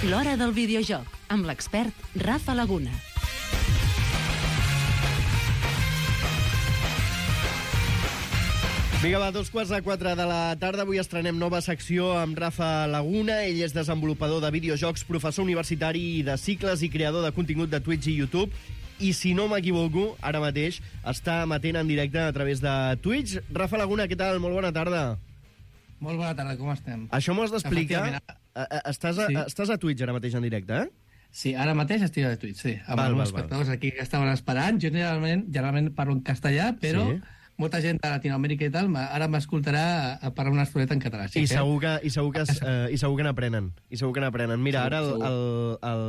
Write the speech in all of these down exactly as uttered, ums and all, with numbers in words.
L'Hora del Videojoc, amb l'expert Rafa Laguna. Vinga, va, dos quarts de quatre de la tarda. Avui estrenem nova secció amb Rafa Laguna. Ell és desenvolupador de videojocs, professor universitari de cicles i creador de contingut de Twitch i YouTube. I si no m'equivoco, ara mateix està emetent en directe a través de Twitch. Rafa Laguna, què tal? Molt bona tarda. Molt bona tarda, com estem? Això m'ho has d'explicar. Estàs, a, sí. estàs a Twitch ara mateix en directe, eh? Sí, ara mateix estic a Twitch, sí. Amb val, els val, espectadors val. aquí que estaven esperant. Jo generalment, generalment parlo en castellà, però... Sí. Molta gent de Latinoamèrica i tal ara m'escoltarà a parlar una estoneta en català. I, segur que, i, segur que, uh, I segur que n'aprenen. I segur que n'aprenen. Mira, ara el, el, el,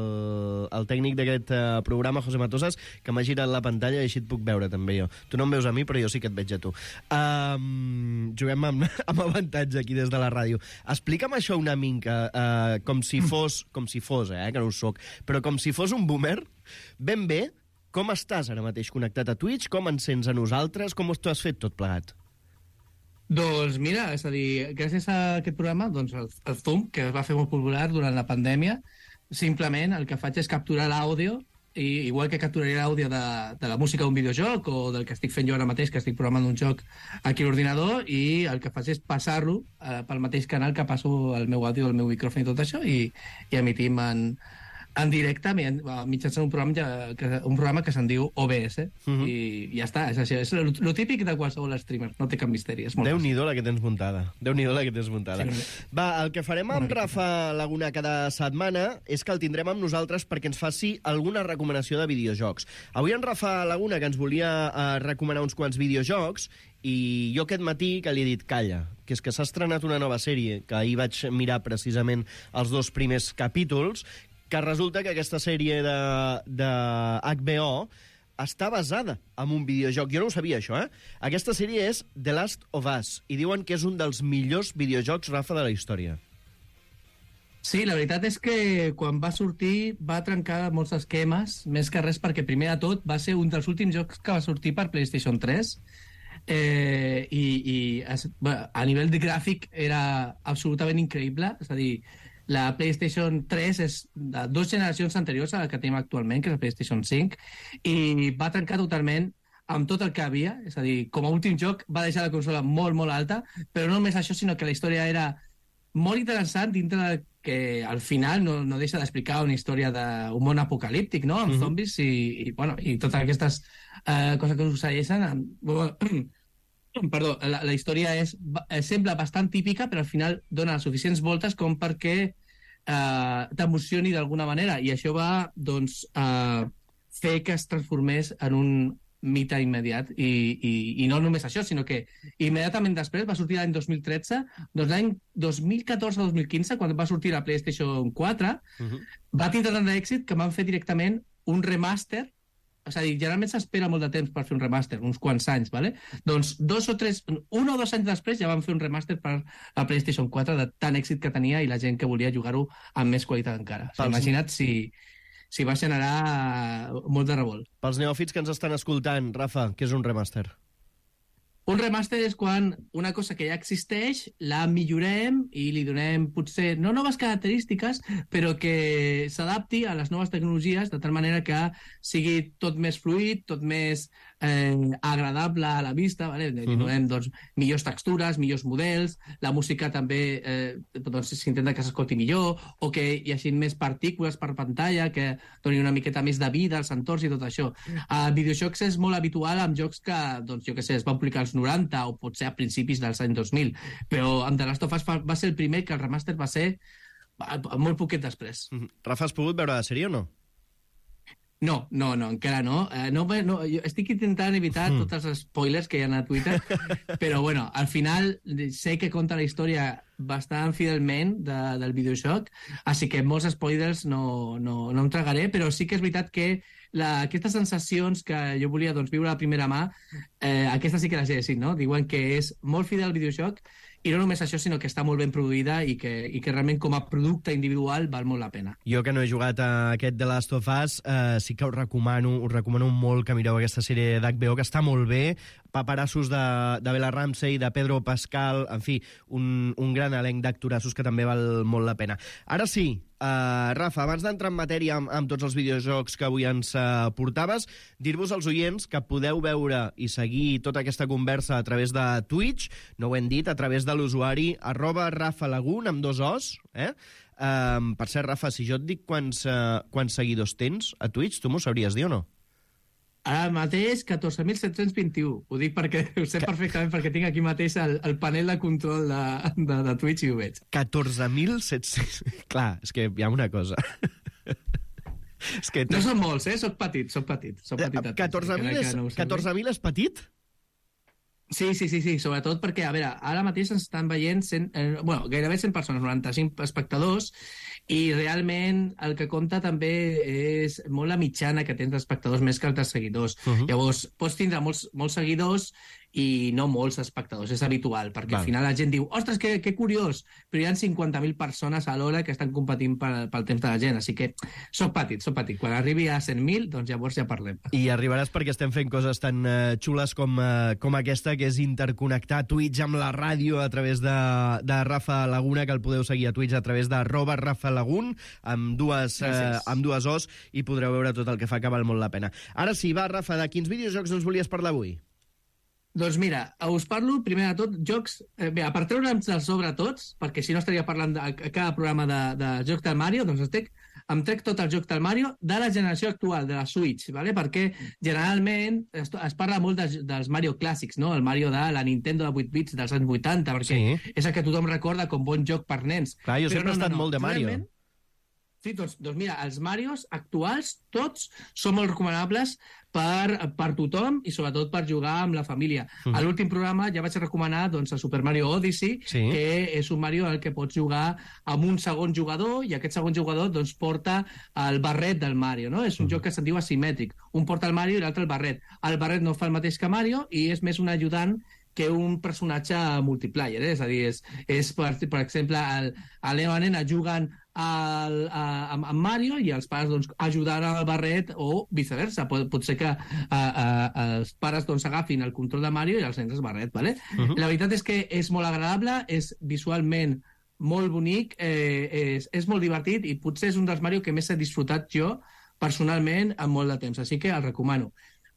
el tècnic d'aquest uh, programa, José Matosas, que m'ha girat la pantalla i així et puc veure també jo. Tu no em veus a mi, però jo sí que et veig a tu. Um, juguem amb, amb avantatge aquí des de la ràdio. Explica'm això una mica, uh, com si fos, com si fos, eh, que no ho soc, però com si fos un boomer, ben bé. Com estàs ara mateix connectat a Twitch? Com ens sents a nosaltres? Com t'ho has fet tot plegat? Doncs mira, és a dir, gràcies a aquest programa, doncs el, el Zoom, que es va fer molt popular durant la pandèmia, simplement el que faig és capturar l'àudio, i igual que capturaria l'àudio de, de la música d'un videojoc o del que estic fent jo ara mateix, que estic programant un joc aquí a l'ordinador, i el que faig és passar-lo eh, pel mateix canal que passo el meu àudio, el meu micròfon i tot això, i, i emitim en... en directe, mitjançant un programa, ja, que, un programa que se'n diu O B S, uh-huh. i ja està, és això, és el típic de qualsevol streamer, no té cap misteri. Déu-n'hi-do la que tens muntada, Déu-n'hi-do la que tens muntada. Sí. Va, el que farem amb Rafa Laguna cada setmana és que el tindrem amb nosaltres perquè ens faci alguna recomanació de videojocs. Avui en Rafa Laguna, que ens volia uh, recomanar uns quants videojocs, i jo aquest matí que li he dit calla, que és que s'ha estrenat una nova sèrie, que ahir vaig mirar precisament els dos primers capítols, que resulta que aquesta sèrie de, de H B O està basada en un videojoc. Jo no ho sabia, això, eh? Aquesta sèrie és The Last of Us, i diuen que és un dels millors videojocs, Rafa, de la història. Sí, la veritat és que quan va sortir va trencar molts esquemes, més que res perquè, primer de tot, va ser un dels últims jocs que va sortir per PlayStation tres, eh, i, i es, bueno, a nivell de gràfic era absolutament increïble, és a dir, la PlayStation tres és de dues generacions anteriors a la que tenim actualment, que és la PlayStation cinc, i va trencar totalment amb tot el que havia, és a dir, com a últim joc va deixar la consola molt, molt alta, però no només això, sinó que la història era molt interessant dintre de que al final no, no deixa d'explicar una història d'un món apocalíptic, no?, amb uh-huh. zombis i, i, bueno, i totes aquestes uh, coses que succeeixen amb... Perdó, la, la història és, sembla bastant típica, però al final dona suficients voltes com perquè eh, t'emocioni d'alguna manera, i això va doncs, eh, fer que es transformés en un mite immediat, i, i, i no només això, sinó que immediatament després va sortir l'any dos mil tretze, doncs l'any dos mil catorze dos mil quinze, quan va sortir la PlayStation quatre, uh-huh. va tindre tant d'èxit que van fer directament un remaster. És a dir, generalment s'espera molt de temps per fer un remaster, uns quants anys, ¿vale? Doncs dos o tres, un o dos anys després ja van fer un remaster per la PlayStation quatre de tan èxit que tenia i la gent que volia jugar-ho amb més qualitat encara. O sigui, imagina't si, si va generar molt de revolt. Pels neòfits que ens estan escoltant, Rafa, què és un remaster? Un remaster és quan una cosa que ja existeix la millorem i li donem potser, no noves característiques, però que s'adapti a les noves tecnologies de tal manera que sigui tot més fluid, tot més eh, agradable a la vista, ¿vale? Li donem doncs, millors textures, millors models, la música també eh, doncs, s'intenta que s'escolti millor, o que hi hagi més partícules per pantalla, que doni una miqueta més de vida als entorns i tot això. A videojocs és molt habitual amb jocs que, doncs, jo què sé, es van publicar als noranta o potser a principis dels anys dos mil, però amb The Last of Us va ser el primer que el remaster va ser molt poquet després. Mm-hmm. Rafa, has pogut veure la sèrie o no? No, no, no, encara no. Eh, no, no jo estic intentant evitar mm. tots els spoilers que hi ha a Twitter, però bueno, al final sé que conta la història bastant fidelment de, del videojoc, així que molts spoilers no, no, no em tragaré, però sí que és veritat que la, aquestes sensacions que jo volia doncs, viure a primera mà, eh, aquestes sí que les he decidit, no? Diuen que és molt fidel al videojoc, i no només això, sinó que està molt ben produïda i que, i que realment com a producte individual val molt la pena. Jo que no he jugat a aquest The Last of Us, eh, sí que us recomano, us recomano molt que mireu aquesta sèrie d'H B O, que està molt bé, paperassos de, de Bella Ramsey, de Pedro Pascal, en fi, un, un gran elenc d'actorassos que també val molt la pena. Ara sí, Uh, Rafa, abans d'entrar en matèria amb, amb tots els videojocs que avui ens uh, portaves, dir-vos als oients que podeu veure i seguir tota aquesta conversa a través de Twitch, no ho hem dit, a través de l'usuari arroba Rafa Lagun, amb dos os, eh? Um, per cert, Rafa, si jo et dic quants, uh, quants seguidors tens a Twitch, tu m'ho sabries dir o no? Ara mateix, catorze mil set-cents vint-i-u. Ho dic perquè ho sé perfectament, perquè tinc aquí mateix el, el panel de control de, de, de Twitch i ho veig. catorze mil set-cents... Clar, és que hi ha una cosa. és que no són molts, eh? Soc petit, soc petit. Soc petit catorze mil és, no catorze mil és petit? Sí, sí, sí, sí, sobretot perquè, a veure, ara mateix ens estan veient cent, eh, bueno, gairebé cent persones, noranta-cinc espectadors, i realment el que compta també és molt la mitjana que tens d'espectadors més que els de seguidors. Uh -huh. Llavors, pots tindre molts, molts seguidors i no molts espectadors, és habitual, perquè Val. Al final la gent diu, ostres, que, que curiós, però hi ha cinquanta mil persones a l'hora que estan competint pel, pel temps de la gent, així que soc petit, soc petit. Quan arribi a cent mil, doncs llavors ja parlem. I arribaràs perquè estem fent coses tan uh, xules com, uh, com aquesta, que és interconnectar Twitch amb la ràdio a través de, de Rafa Laguna, que el podeu seguir a Twitch a través de arroba Rafa Lagun, amb dues, uh, amb dues os, i podreu veure tot el que fa, que val molt la pena. Ara sí, va, Rafa, de quins videojocs ens volies parlar avui? Doncs mira, us parlo, primer de tot, jocs... Eh, bé, per treure'ns de sobre tots, perquè si no estaria parlant de, a cada programa de, de jocs del Mario, doncs estic, em trec tot el joc del Mario de la generació actual, de la Switch, ¿vale? Perquè generalment es, es parla molt de, dels Mario clàssics, no? El Mario de la Nintendo de vuit bits dels anys vuitanta, perquè sí. és el que tothom recorda com bon joc per nens. Clar, jo Però sempre no, he estat no, no. molt de Mario. Realment, sí, doncs, doncs mira, els Marios actuals, tots, són molt recomanables per, per tothom i sobretot per jugar amb la família. Uh-huh. A l'últim programa ja vaig recomanar doncs, el Super Mario Odyssey, sí. que és un Mario en el que pots jugar amb un segon jugador i aquest segon jugador doncs, porta el barret del Mario. No? És un uh-huh. joc que se'n diu asimètric. Un porta el Mario i l'altre el barret. El barret no fa el mateix que Mario i és més un ajudant que un personatge multiplayer, eh? És a dir, és, és per, per exemple, el, el nena o la nena juguen al, a, amb, amb Mario i els pares doncs, ajudant al barret o viceversa. Pot, pot ser que a, a, els pares doncs, agafin el control de Mario i els nens el barret. ¿Vale? Uh-huh. La veritat és que és molt agradable, és visualment molt bonic, eh, és, és molt divertit i potser és un dels Mario que més he disfrutat jo personalment en molt de temps, així que el recomano.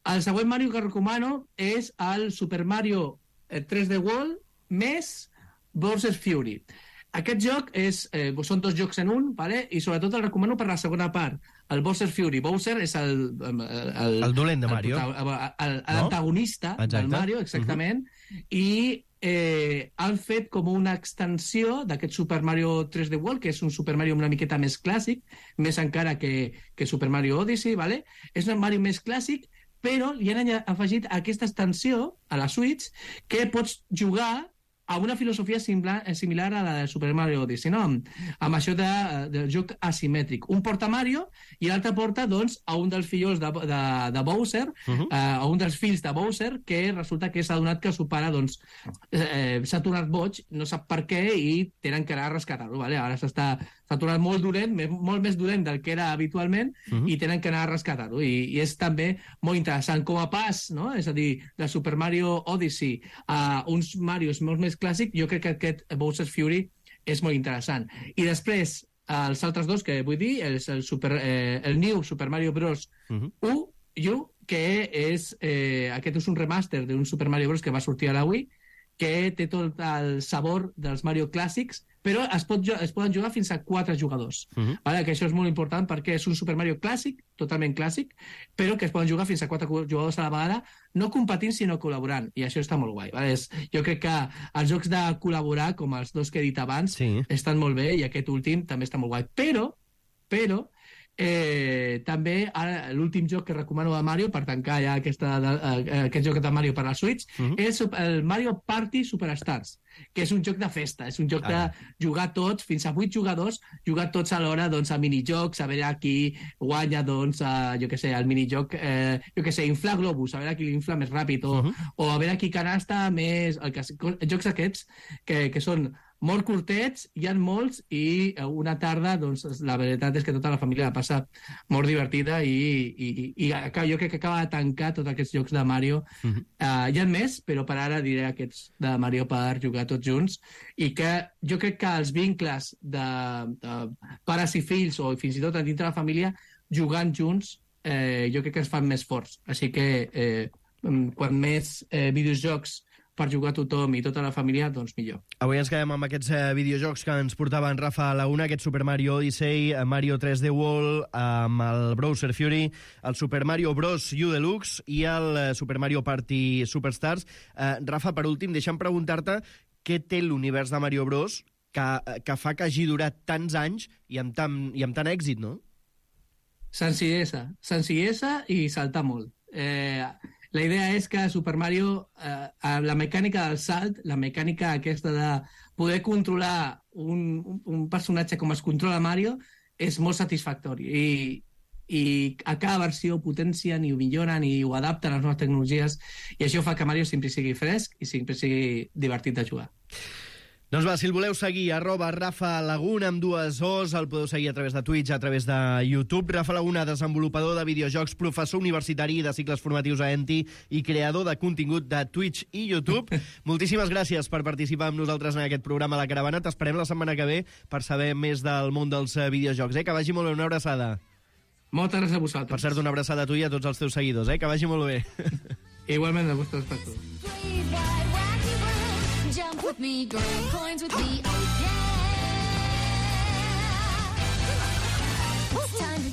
El següent Mario que recomano és el Super Mario tres D World més Bowser's Fury. Aquest joc és, eh, són dos jocs en un, ¿vale? I sobretot el recomano per la segona part, el Bowser's Fury. Bowser és el... El, el, el dolent de Mario. L'antagonista no? del Mario, exactament. Uh-huh. I eh, han fet com una extensió d'aquest Super Mario tres D World, que és un Super Mario una miqueta més clàssic, més encara que, que Super Mario Odyssey, ¿vale? És un Mario més clàssic, però li han afegit aquesta extensió a la Switch que pots jugar a una filosofia similar, similar a la de Super Mario Odyssey, no? amb, amb això de, del joc asimètric. Un porta Mario i l'altre porta doncs, a un dels fills de, de, de Bowser, uh-huh. eh, a un dels fills de Bowser, que resulta que s'ha donat que el seu pare doncs, eh, s'ha tornat boig, no sap per què, i tenen que anar a rescatar-lo. Vale? Ara s'està s'ha tornat molt dolent, molt més dolent del que era habitualment, uh-huh. i tenen que anar a rescatar-ho. I, I és també molt interessant. Com a pas, no? És a dir, de Super Mario Odyssey a uns Marios molt més clàssics, jo crec que aquest Bowser's Fury és molt interessant. I després, els altres dos que vull dir, el, el, super, eh, el New Super Mario Bros. Uh-huh. U, U, que és, eh, aquest és un remaster d'un Super Mario Bros. Que va sortir a la Wii, que té tot el sabor dels Mario clàssics, però es, pot, es poden jugar fins a quatre jugadors. Uh-huh. Vale? Que això és molt important perquè és un Super Mario clàssic, totalment clàssic, però que es poden jugar fins a quatre jugadors a la vegada, no competint, sinó col·laborant. I això està molt guai. Vale? És, jo crec que els jocs de col·laborar, com els dos que he dit abans, sí. estan molt bé, i aquest últim també està molt guai. Però, però, Eh, també ara l'últim joc que recomano de Mario per tancar ja aquesta, eh, aquest joc de Mario per a la Switch uh-huh. és el Mario Party Superstars, que és un joc de festa, és un joc ah. de jugar tots, fins a vuit jugadors, jugar tots alhora doncs, a minijocs, a veure qui guanya doncs, a, jo què sé, al minijoc, eh, jo què sé, inflar globus, a veure qui l'infla més ràpid, o, uh-huh. o a veure qui canasta més... El que, jocs aquests que, que són molt curtets, hi ha molts, i una tarda, doncs, la veritat és que tota la família la passa molt divertida i, i, i, i jo crec que acaba de tancar tots aquests jocs de Mario. Mm-hmm. Uh, hi ha més, però per ara diré aquests de Mario per jugar tots junts, i que jo crec que els vincles de, de pares i fills, o fins i tot a dintre la família, jugant junts, eh, jo crec que ens fan més forts. Així que eh, quan més eh, videojocs per jugar tothom i tota la família, doncs millor. Avui ens quedem amb aquests eh, videojocs que ens portava en Rafa Laguna, aquest Super Mario Odyssey, Mario tres D World, amb el Bowser Fury, el Super Mario Bros. U Deluxe i el eh, Super Mario Party Superstars. Eh, Rafa, per últim, deixa'm preguntar-te què té l'univers de Mario Bros. que, que fa que hagi durat tants anys i amb tant, i amb tant èxit, no? Senzillesa. Senzillesa i saltar molt. Eh... La idea és que Super Mario, eh, la mecànica del salt, la mecànica aquesta de poder controlar un, un personatge com es controla Mario, és molt satisfactori. I, i a cada versió ho potencien i ho milloren i ho adapten a les noves tecnologies, i això fa que Mario sempre sigui fresc i sempre sigui divertit de jugar. Doncs va, si el voleu seguir, arroba Rafa Laguna amb dues O's, el podeu seguir a través de Twitch, a través de YouTube. Rafa Laguna, desenvolupador de videojocs, professor universitari de cicles formatius a Enti i creador de contingut de Twitch i YouTube. Moltíssimes gràcies per participar amb nosaltres en aquest programa La Caravana. T'esperem la setmana que ve per saber més del món dels videojocs. Eh? Que vagi molt bé, una abraçada. Moltes gràcies a vosaltres. Per cert, una abraçada a tu i a tots els teus seguidors. Eh? Que vagi molt bé. Igualment, a vostres espectadors. Jump with me, grab coins with me, oh yeah! It's time to